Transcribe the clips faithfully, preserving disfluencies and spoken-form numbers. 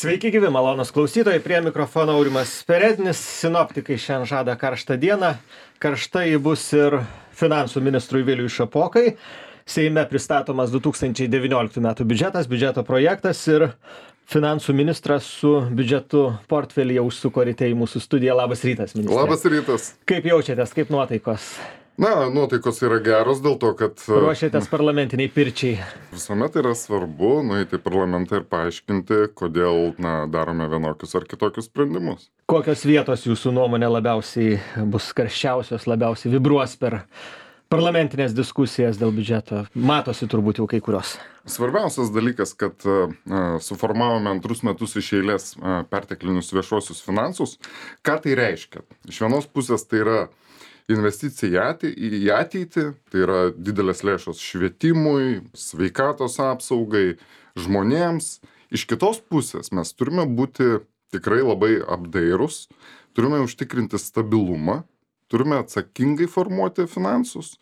Sveiki gyvi, malonus klausytojai, prie mikrofono Aurimas Perednis, sinoptikai šiandien žada karštą dieną, karštai bus ir finansų ministrui Viliui Šapokai. Seime pristatomas du tūkstančiai devynioliktų metų biudžetas, biudžeto projektas ir finansų ministras su biudžetu portfelyje užsuko ryte į mūsų studiją. Labas rytas, ministre. Labas rytas. Kaip jaučiatės, kaip nuotaikos? Na, nuotaikos yra geros dėl to, kad... Ruošiatės parlamentiniai pirčiai. Visuomet yra svarbu nueiti į parlamentą ir paaiškinti, kodėl na, darome vienokius ar kitokius sprendimus. Kokios vietos jūsų nuomonė labiausiai bus karščiausios, labiausiai vibruos per parlamentinės diskusijas dėl biudžeto? Matosi turbūt jau kai kurios. Svarbiausias dalykas, kad uh, suformavome antrus metus iš eilės uh, perteklinius viešuosius finansus. Ką tai reiškia? Iš vienos pusės tai yra investicija į ateitį, tai yra didelės lėšos švietimui, sveikatos apsaugai, žmonėms. Iš kitos pusės mes turime būti tikrai labai apdairūs, turime užtikrinti stabilumą, turime atsakingai formuoti finansus,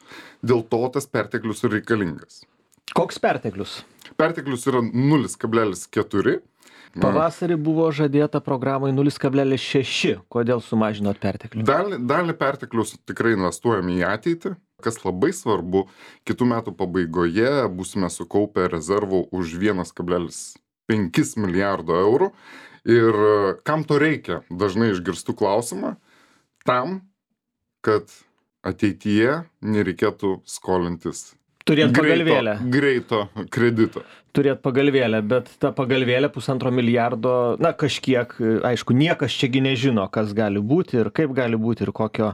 dėl to tas perteklius yra reikalingas. Koks perteklius? Perteklius yra nulis kablelis keturi. Pavasarį buvo žadėta programai nulis kablelis šeši. Kodėl sumažinot perteklių? Dalį, dalį perteklius tikrai investuojame į ateitį. Kas labai svarbu, kitų metų pabaigoje būsime sukaupę rezervų už vienas kablelis penki milijardo eurų. Ir kam to reikia? Dažnai išgirstu klausimą. Tam, kad ateityje nereikėtų skolintis. Turėt pagalvėlę. Greito, greito kredito. Turėt pagalvėlę, bet ta pagalvėlė pusantro milijardo, na kažkiek, aišku, niekas čiagi nežino, kas gali būti ir kaip gali būti ir kokio,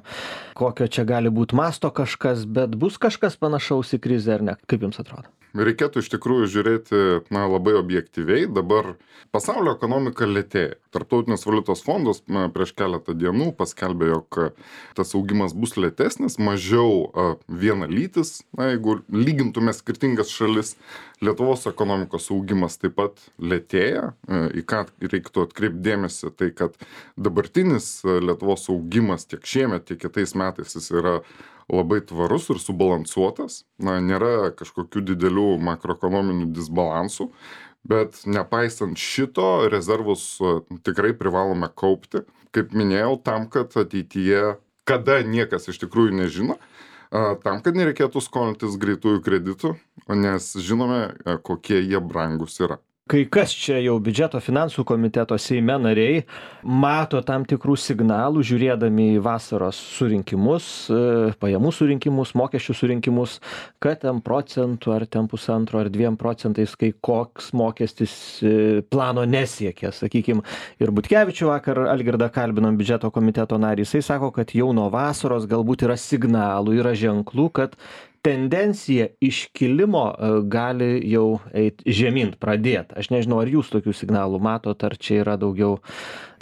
kokio čia gali būti masto kažkas, bet bus kažkas panašaus į krizę ar ne? Kaip jums atrodo? Reikėtų iš tikrųjų žiūrėti na, labai objektyviai. Dabar pasaulio ekonomika lėtėja. Tarptautinis valiutos fondas na, prieš keletą dienų paskelbė, jog tas augimas bus lėtesnis, mažiau a, vienalytis. Na, jeigu lygintume skirtingas šalis, Lietuvos ekonomikos augimas taip pat lėtėja. Į ką reiktų atkreipti dėmesį, tai kad dabartinis Lietuvos augimas tiek šiemet, tiek kitais metais jis yra labai tvarus ir subalansuotas. Na, nėra kažkokių didelių makroekonominių disbalansų, bet nepaisant šito, rezervus tikrai privalome kaupti. Kaip minėjau, tam, kad ateityje, kada niekas iš tikrųjų nežino, tam, kad nereikėtų skolintis greitųjų kreditų, nes žinome, kokie jie brangus yra. Kai kas čia jau biudžeto finansų komiteto Seime nariai mato tam tikrų signalų, žiūrėdami į vasaros surinkimus, pajamų surinkimus, mokesčių surinkimus, kad ten procentų ar ten pusantro ar dviem procentais, kai koks mokestis plano nesiekia. Sakykime, ir Butkevičių vakar Algirdą kalbinom biudžeto komiteto narį, jisai sako, kad jau nuo vasaros galbūt yra signalų, yra ženklų, kad tendencija iškilimo gali jau eit žemyn, pradėt. Aš nežinau, ar jūs tokių signalų matot, ar čia yra daugiau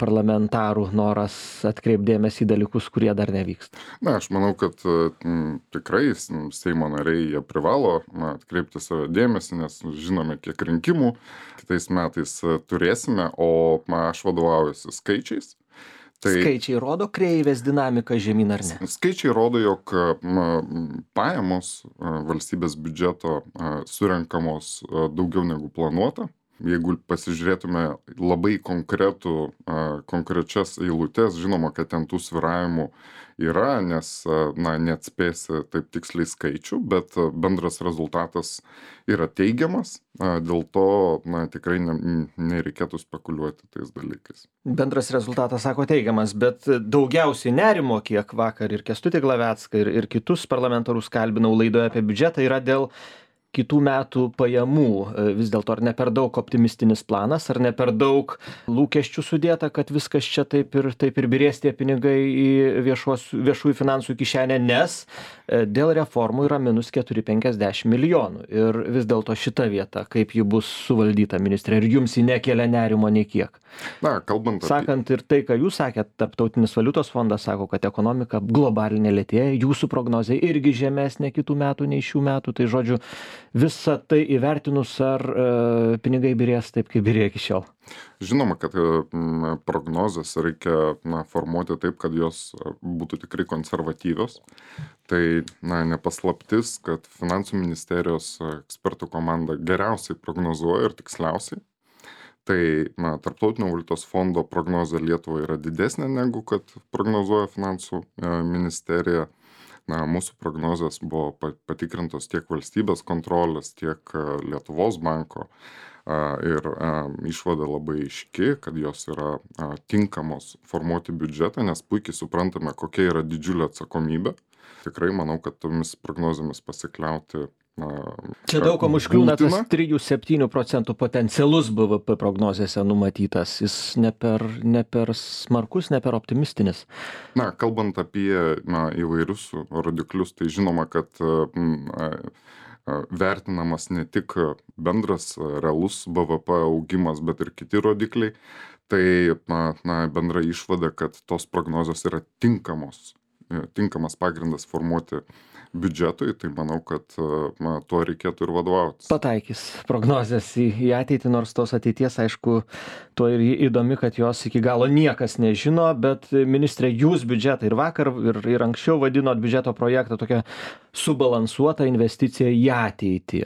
parlamentarų noras atkreipdėmės į dalykus, kurie dar nevyksta. Na, aš manau, kad m, tikrai Seimo nariai jie privalo na, atkreipti savo dėmesį, nes žinome, kiek rinkimų kitais metais turėsime, o ma, aš vadovaujuosi skaičiais. Tai skaičiai rodo kreivės dinamiką žemyn ar ne? Skaičiai rodo, jog pajamos valstybės biudžeto surenkamos daugiau negu planuota. Jeigu pasižiūrėtume labai konkretų, konkrečias eilutes, žinoma, kad ten tų svyravimų yra, nes na, neatspėsi taip tiksliai skaičių, bet bendras rezultatas yra teigiamas, dėl to na, tikrai ne, nereikėtų spekuliuoti tais dalykais. Bendras rezultatas, sako, teigiamas, bet daugiausiai nerimo, kiek vakar ir Kęstutį Glavecką, ir, ir kitus parlamentarus kalbinau laidoje apie biudžetą, yra dėl kitų metų pajamų. Vis dėlto ar ne per daug optimistinis planas, ar ne per daug lūkesčių sudėta, kad viskas čia taip ir, taip ir birės tie pinigai į viešuos, viešųjų finansų kišenę, nes dėl reformų yra minus keturi penkiasdešimt milijonų. Ir vis dėlto šita vieta, kaip ji bus suvaldyta, ministrė, ir jums ji nekelia nerimo nei kiek? Na, kalbant apie... Sakant ir tai, ką jūs sakėt, Tarptautinis valiutos fondas sako, kad ekonomika globalinė lėtėja, jūsų prognozė irgi žemesnė kitų metų nei šių metų, tai žodžiu, visą tai įvertinus, ar e, pinigai birės taip, kaip birėjo iki šiol? Žinoma, kad m, prognozes reikia na, formuoti taip, kad jos būtų tikrai konservatyvios. Tai na, nepaslaptis, kad finansų ministerijos ekspertų komanda geriausiai prognozuoja ir tiksliausiai. Tai na, Tarptautinio valiutos fondo prognozė Lietuvai yra didesnė negu kad prognozuoja finansų e, ministerija. Na, mūsų prognozės buvo pa- patikrintos tiek valstybės kontrolės, tiek e, Lietuvos banko. A, Ir a, išvada labai aiški, kad jos yra a, tinkamos formuoti biudžetą, nes puikiai suprantame, kokia yra didžiulė atsakomybė. Tikrai manau, kad tomis prognozėmis pasikliauti. a, Čia daug kam užkliūna tas trijų septynių procentų potencialus B V P prognozėse numatytas. Jis ne per, ne per smarkus, ne per optimistinis. Na, kalbant apie na, įvairius rodiklius, tai žinoma, kad mm, a, a, vertinamas ne tik bendras a, realus B V P augimas, bet ir kiti rodikliai. Tai na, na, bendra išvada, kad tos prognozijos yra tinkamos, e, tinkamas pagrindas formuoti biudžetui, tai manau, kad a, na, tuo reikėtų ir vadovautis. Pataikys prognozės į, į ateitį, nors tos ateities, aišku, tuo ir įdomi, kad jos iki galo niekas nežino, bet ministrė, jūs biudžetą ir vakar, ir, ir anksčiau vadinot biudžeto projektą tokią subalansuotą investiciją į ateitį.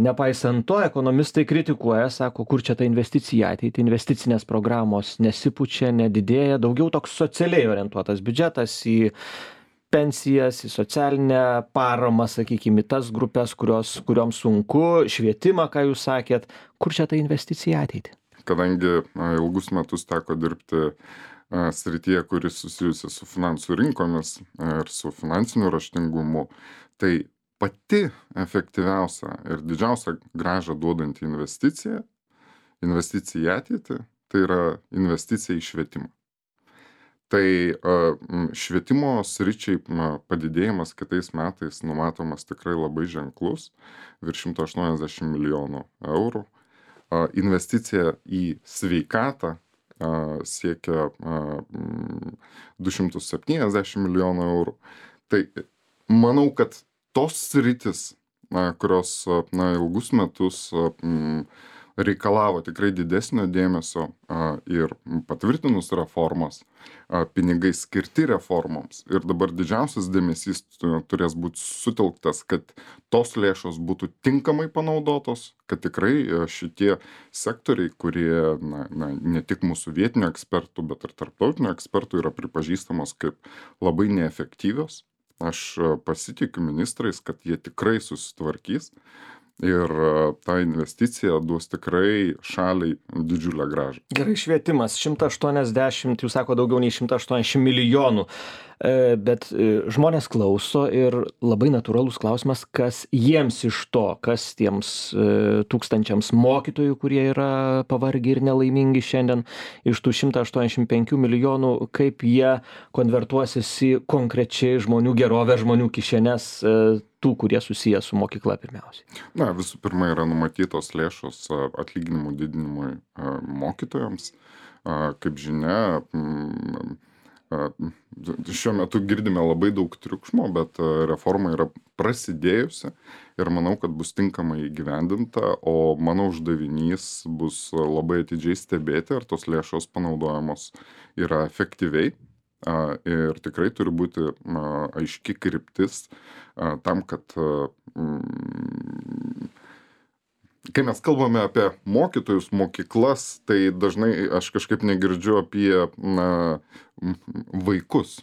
Nepaisant to, ekonomistai kritikuoja, sako, kur čia ta investicija į ateitį, investicinės programos nesipučia, nedidėja, daugiau toks socialiai orientuotas biudžetas į pensijas, į socialinę paramą, sakykime, į tas grupės, kurios, kurioms sunku, švietimą, ką jūs sakėt, kur čia ta investicija į ateitį? Kadangi a, ilgus metus teko dirbti a, srityje, kuris susijusi su finansų rinkomis a, ir su finansiniu raštingumu, tai pati efektyviausia ir didžiausia grąžą duodanti investicija, investicija į ateitį, tai yra investicija į švietimą. Tai a, m, švietimo sričiai m, padidėjimas kitais metais numatomas tikrai labai ženklus, virš šimto aštuoniasdešimt milijonų eurų. A, Investicija į sveikatą a, siekia a, m, du šimtus septyniasdešimt milijonų eurų. Tai manau, kad tos sritis, na, kurios a, na, ilgus metus a, m, reikalavo tikrai didesnio dėmesio a, ir patvirtinus reformas, a, pinigai skirti reformoms. Ir dabar didžiausias dėmesys tu- turės būti sutelktas, kad tos lėšos būtų tinkamai panaudotos, kad tikrai a, šitie sektoriai, kurie na, na, ne tik mūsų vietinių ekspertų, bet ir tarptautinių ekspertų yra pripažįstamos kaip labai neefektyvios. Aš a, pasitikiu ministrais, kad jie tikrai susitvarkys. Ir a, ta investicija duos tikrai šaliai didžiulę grąžą. Gerai, švietimas šimtas aštuoniasdešimt, jūs sako, daugiau nei šimtas aštuoniasdešimt milijonų. E, Bet e, žmonės klauso ir labai natūralus klausimas, kas jiems iš to, kas tiems e, tūkstančiams mokytojų, kurie yra pavargę ir nelaimingi šiandien, iš tų šimtas aštuoniasdešimt penkių milijonų, kaip jie konvertuosis į konkrečiai žmonių gerovę, žmonių kišenes, e, tų, kurie susiję su mokykla pirmiausiai. Na, visų pirma, yra numatytos lėšos a, atlyginimų didinimui a, mokytojams. A, Kaip žinia, mm, a, šiuo metu girdime labai daug triukšmo, bet a, reforma yra prasidėjusi ir manau, kad bus tinkamai įgyvendinta, o mano uždavinys bus a, labai atidžiai stebėti, ar tos lėšos panaudojamos yra efektyviai. A, Ir tikrai turi būti a, aiški kryptis a, tam, kad a, mm, kai mes kalbame apie mokytojus, mokyklas, tai dažnai aš kažkaip negirdžiu apie na, m, vaikus.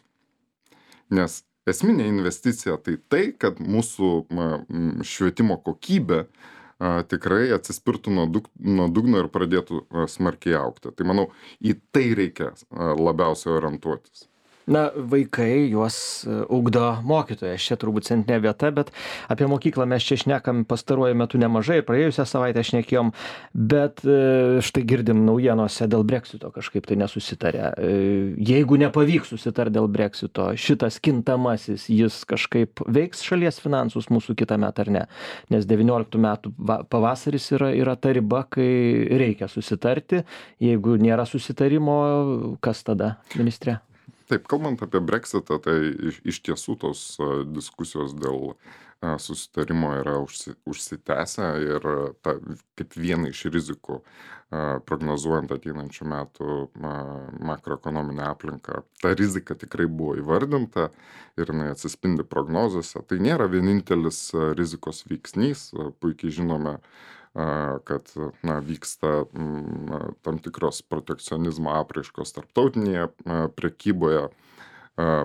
Nes esminė investicija tai tai, kad mūsų na, m, švietimo kokybė a, tikrai atsispirtų nuo, dug, nuo dugno ir pradėtų a, smarkiai augti. Tai manau, į tai reikia a, labiausiai orientuotis. Na, vaikai juos e, ugdo mokytojas, čia turbūt centrinė vieta, bet apie mokyklą mes čia šnekam pastaruoju metu nemažai, praėjusią savaitę šnekėjom, bet e, štai girdim naujienose dėl Brexito kažkaip tai nesusitarė. E, Jeigu nepavyks susitarti dėl Brexito, šitas kintamasis, jis kažkaip veiks šalies finansus mūsų kitą metą ar ne? Nes devynioliktų metų va- pavasaris yra, yra ta riba, kai reikia susitarti. Jeigu nėra susitarimo, kas tada, ministrė? Taip, kalbant apie Brexitą, tai iš, iš tiesų tos a, diskusijos dėl a, susitarimo yra užsi, užsitęsę ir a, ta, kaip viena iš rizikų a, prognozuojant ateinančių metų a, makroekonominę aplinką. Ta rizika tikrai buvo įvardinta ir jinai atsispindi prognozėse. Tai nėra vienintelis a, rizikos veiksnys. A, Puikiai žinome kad na, vyksta tam tikros protekcionizmo apraiškos tarptautinėje prekyboje.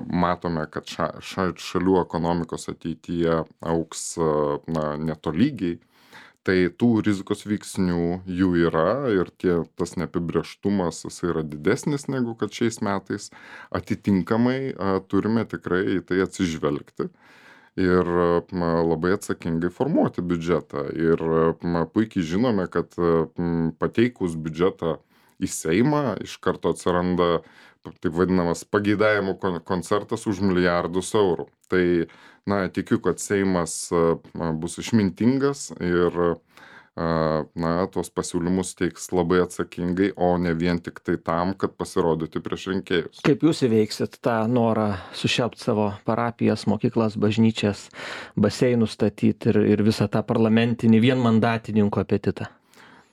Matome, kad ša, ša, šalių ekonomikos ateityje auks na, netolygiai. Tai tų rizikos veiksnių jų yra ir tie, tas neapibrėžtumas jis yra didesnis negu kad šiais metais. Atitinkamai turime tikrai į tai atsižvelgti ir labai atsakingai formuoti biudžetą. Ir puikiai žinome, kad pateikus biudžetą į Seimą iš karto atsiranda taip vadinamas pageidavimų koncertas už milijardus eurų. Tai, na, tikiu, kad Seimas bus išmintingas ir, na, tuos pasiūlymus teiks labai atsakingai, o ne vien tik tai tam, kad pasirodyti prieš rinkėjus. Kaip jūs įveiksit tą norą sušelpt savo parapijas, mokyklas, bažnyčias, baseinus statyti ir, ir visą tą parlamentinį vienmandatininkų apetitą?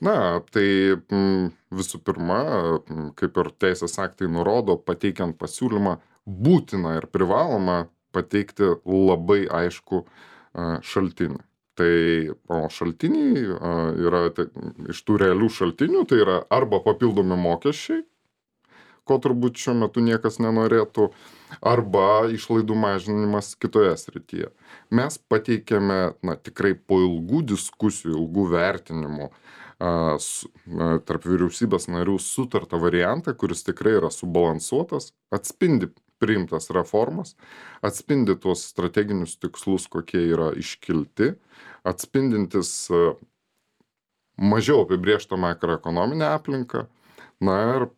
Na, tai visų pirma, kaip ir teisės aktai nurodo, pateikiant pasiūlymą būtina ir privaloma pateikti labai aišku šaltinį. Tai o šaltiniai yra tai, iš tų realių šaltinių, tai yra arba papildomi mokesčiai, ko turbūt šiuo metu niekas nenorėtų, arba išlaidų mažinimas kitoje srityje. Mes pateikėme, na, tikrai po ilgų diskusijų, ilgų vertinimų, tarp vyriausybės narių sutartą variantą, kuris tikrai yra subalansuotas, atspindi priimtas reformas, atspindi tuos strateginius tikslus, kokie yra iškilti, atspindintis mažiau apibrėžtą makroekonominę aplinką. Na ir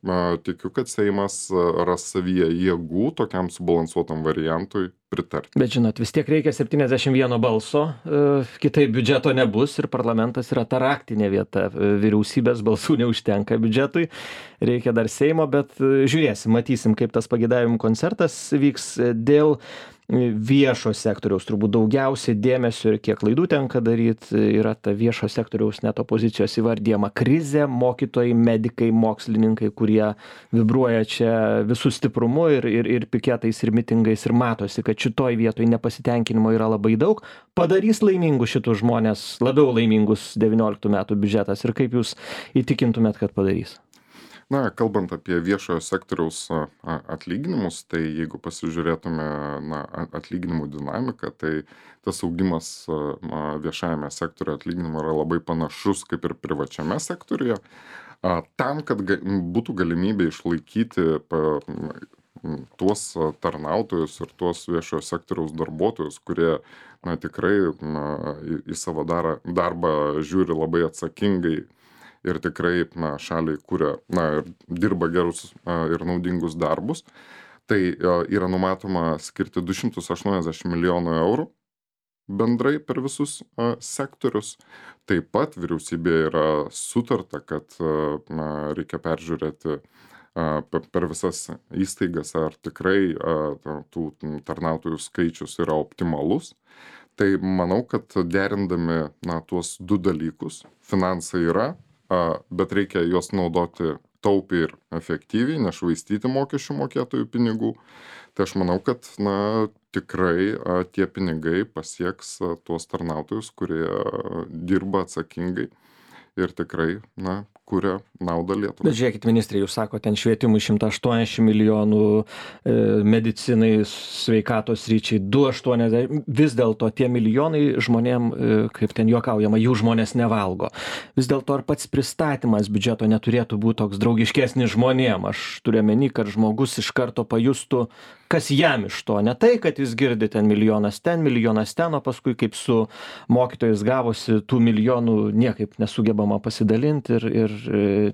tikiu, kad Seimas ras savyje jėgų tokiam subalansuotam variantui pritarti. Bet žinot, vis tiek reikia septyniasdešimt vieno balso, kitaip biudžeto nebus ir parlamentas yra ta raktinė vieta. Vyriausybės balsų neužtenka biudžetui, reikia dar Seimo, bet žiūrėsim, matysim, kaip tas pageidavimų koncertas vyks. Dėl viešo sektoriaus turbūt daugiausiai dėmesio ir kiek klaidų tenka daryti yra ta viešo sektoriaus net opozicijos įvardyjama krizė, mokytojai, medikai, mokslininkai, kurie vibruoja čia visų stiprumu ir, ir, ir piketais, ir mitingais, ir matosi, kad šitoj vietoj nepasitenkinimo yra labai daug. Padarys laimingus šitus žmonės, labiau laimingus devynioliktų metų biudžetas ir kaip jūs įtikintumėt, kad padarys? Na, kalbant apie viešojo sektoriaus atlyginimus, tai jeigu pasižiūrėtume na, atlyginimų dinamiką, tai tas augimas viešajame sektoriuje atlyginimo yra labai panašus kaip ir privačiame sektoriuje. Tam, kad būtų galimybė išlaikyti tuos tarnautojus ir tuos viešojo sektoriaus darbuotojus, kurie na, tikrai na, į savo darbą žiūri labai atsakingai, ir tikrai na, šaliai kuria na, ir dirba gerus a, ir naudingus darbus, tai a, yra numatoma skirti du šimtus aštuoniasdešimt milijonų eurų bendrai per visus a, sektorius. Taip pat vyriausybėje yra sutarta, kad a, na, reikia peržiūrėti a, per visas įstaigas, ar tikrai a, tų tarnautojų skaičius yra optimalus. Tai manau, kad derindami na, tuos du dalykus, finansai yra, bet reikia juos naudoti taupiai ir efektyviai, nešvaistyti mokesčių mokėtojų pinigų. Tai aš manau, kad na, tikrai tie pinigai pasieks tuos tarnautojus, kurie dirba atsakingai ir tikrai na, kuria naudą Lietuvai. Bet žiūrėkit, ministrė, jūs sako, ten švietimui šimtas aštuoniasdešimt milijonų, e, medicinai, sveikatos ryčiai du šimtai aštuoniasdešimt, vis dėlto tie milijonai žmonėm, e, kaip ten juokaujama, jų žmonės nevalgo. Vis dėlto ar pats pristatymas biudžeto neturėtų būti toks draugiškesnis žmonėm? Aš turiu omeny, kad žmogus iš karto pajustų, kas jam iš to. Ne tai, kad jis girdi ten milijonas ten, milijonas ten, o paskui kaip su mokytojais gavosi, tų milijonų niekaip nesugebama pasidalinti ir, ir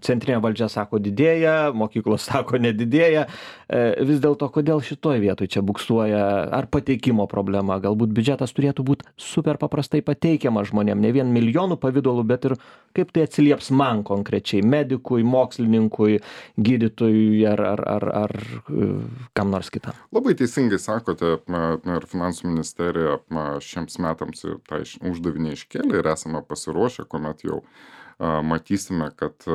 centrinė valdžia sako didėja, mokyklos sako nedidėja. Vis dėlto, kodėl šitoj vietoj čia buksuoja? Ar pateikimo problema? Galbūt biudžetas turėtų būti super paprastai pateikiamas žmonėm, ne vien milijonų pavidalų, bet ir kaip tai atsilieps man konkrečiai, medikui, mokslininkui, gydytojui ar, ar, ar, ar kam nors kitam. Labai teisingai sakote, ir finansų ministerija šiems metams tą uždavinį iškėlė ir esame pasiruošę, kuomet jau matysime, kad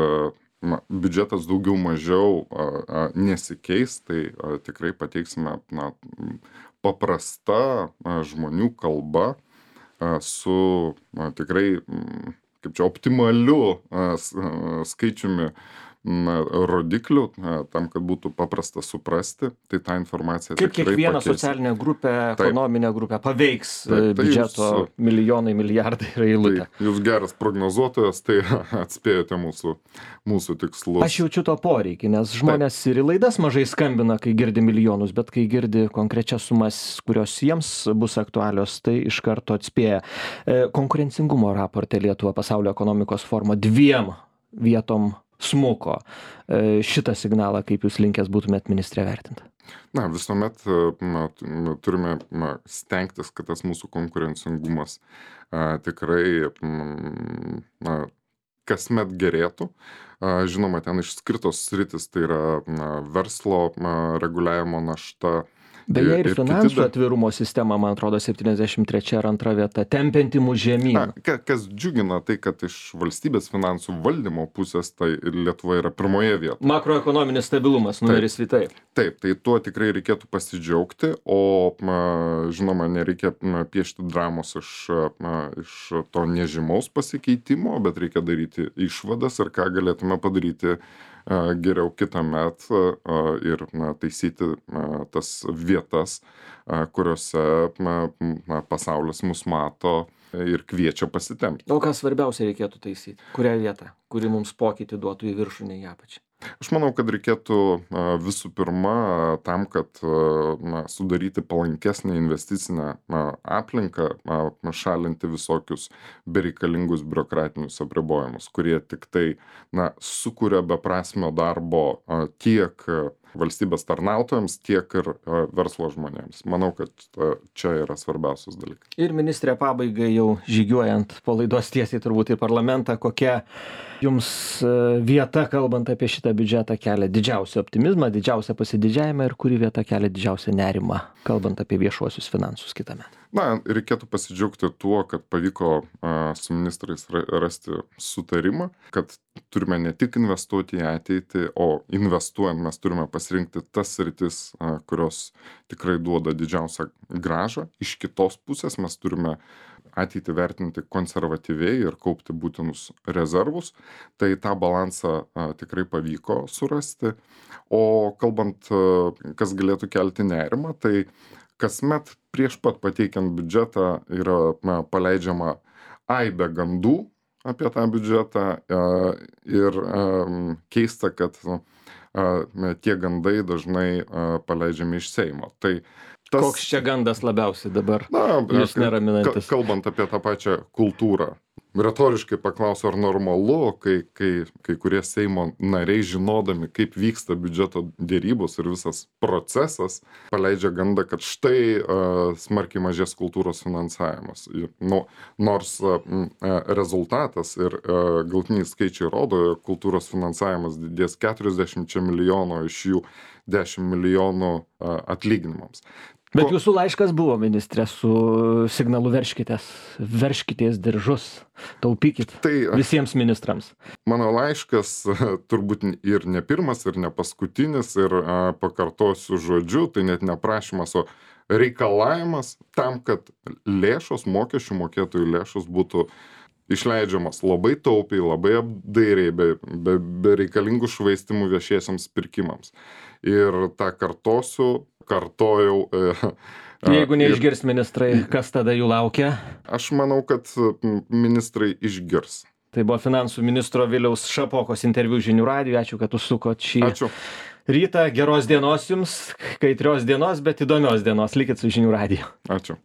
na, biudžetas daugiau mažiau nesikeis, tai tikrai pateiksime na, paprasta žmonių kalba su na, tikrai, kaip čia, optimaliu skaičiumi na, rodiklių, tam, kad būtų paprasta suprasti, tai tą informaciją kaip tikrai kiekvieną pakeis. socialinę grupę, Taip. ekonominę grupę paveiks Taip, tai biudžeto jūs- milijonai, milijardai ir eilutė. Tai jūs geras prognozuotojas, tai atspėjote mūsų, mūsų tikslus. Aš jaučiu to poreikį, nes žmonės ir į laidas mažai skambina, kai girdi milijonus, bet kai girdi konkrečias sumas, kurios jiems bus aktualios, tai iš karto atspėja. E, Konkurencingumo raporte Lietuva pasaulio ekonomikos forumo dviem vietom smuko. E, Šitą signalą, kaip jūs linkęs būtumėt ministrė vertinti? Na, visuomet na, turime na, stengtis, kad tas mūsų konkurencingumas a, tikrai mm, na, kasmet gerėtų. A, žinoma, ten išskirtos sritis, tai yra na, verslo na, reguliavimo našta. Beje, ir ir kiti finansų da- atvirumo sistema, man atrodo, septyniasdešimt trečia ar antra vieta, tempianti mus žemyn. Na, ka- kas džiugina, tai kad iš valstybės finansų valdymo pusės, tai Lietuva yra pirmoje vietoje. Makroekonominis stabilumas, numeris vitai. Taip, tai tuo tikrai reikėtų pasidžiaugti, o na, žinoma, nereikia na, piešti dramos iš, na, iš to nežymaus pasikeitimo, bet reikia daryti išvadas ir ką galėtume padaryti a, geriau kitąmet a, ir na, taisyti na, tas vietas, a, kuriuose na, na, pasaulis mus mato ir kviečia pasitempti. O ką svarbiausia reikėtų taisyti? Kurią vietą? Kuri mums pokytį duotų į viršų, ne į apačią? Aš manau, kad reikėtų a, visų pirma tam, kad a, na, sudaryti palankesnę investicinę a, aplinką, a, šalinti visokius bereikalingus biurokratinius apribojimus, kurie tik tai na, sukuria beprasmio darbo a, tiek a, valstybės tarnautojams, tiek ir a, verslo žmonėms. Manau, kad a, čia yra svarbiausias dalykas. Ir ministrė pabaigai jau žygiuojant po laidos tiesiai turbūt į parlamentą, kokia jums e, vieta, kalbant apie šitą biudžetą, kelia didžiausią optimizmą, didžiausią pasididžiavimą ir kuri vieta kelia didžiausią nerimą, kalbant apie viešuosius finansus kitąmet? Na, reikėtų pasidžiaugti tuo, kad pavyko a, su ministrais ra- rasti sutarimą, kad turime ne tik investuoti į ateitį, o investuojant mes turime pasirinkti tas sritis, a, kurios tikrai duoda didžiausią grąžą. Iš kitos pusės mes turime ateitį vertinti konservatyviai ir kaupti būtinus rezervus. Tai tą balansą a, tikrai pavyko surasti. O kalbant, a, kas galėtų kelti nerimą, tai kasmet prieš pat pateikiant biudžetą yra na, paleidžiama aibė gandų apie tą biudžetą a, ir a, keista, kad a, tie gandai dažnai a, paleidžiami iš Seimo. Tai tas, Koks čia gandas labiausiai dabar na, jūs ka- neraminantis? kalbant apie tą pačią kultūrą. Retoriškai paklausiu, ar normalu, kai, kai, kai kurie Seimo nariai, žinodami, kaip vyksta biudžeto dėrybos ir visas procesas, paleidžia gandą, kad štai uh, smarkiai mažės kultūros finansavimas. Ir, nu, nors uh, rezultatas ir uh, galtiniai skaičiai rodo, jog kultūros finansavimas didės keturiasdešimčia milijonų, iš jų dešimt milijonų uh, atlyginimams. Bet Ko- jūsų laiškas buvo, ministrė, su signalu verškitės, verškitės diržus, taupykit Tai visiems ministrams. mano laiškas turbūt ir ne pirmas, ir ne paskutinis, ir a, pakartosiu žodžiu, tai net ne prašymas, o reikalavimas tam, kad lėšos, mokesčių mokėtojų lėšos būtų išleidžiamas labai taupiai, labai apdairiai, be, be, be reikalingų švaistimų viešiesiams pirkimams. Ir tą kartosiu, kartojau. E, Jeigu ir neišgirs ministrai, kas tada jų laukia? aš manau, kad m, ministrai išgirs. Tai buvo finansų ministro Viliaus Šapokos interviu Žinių radijui. Ačiū, kad užsukot šį Ačiū. rytą. Geros dienos jums, kaitrios dienos, bet įdomios dienos. Likit su Žinių radiju. Ačiū.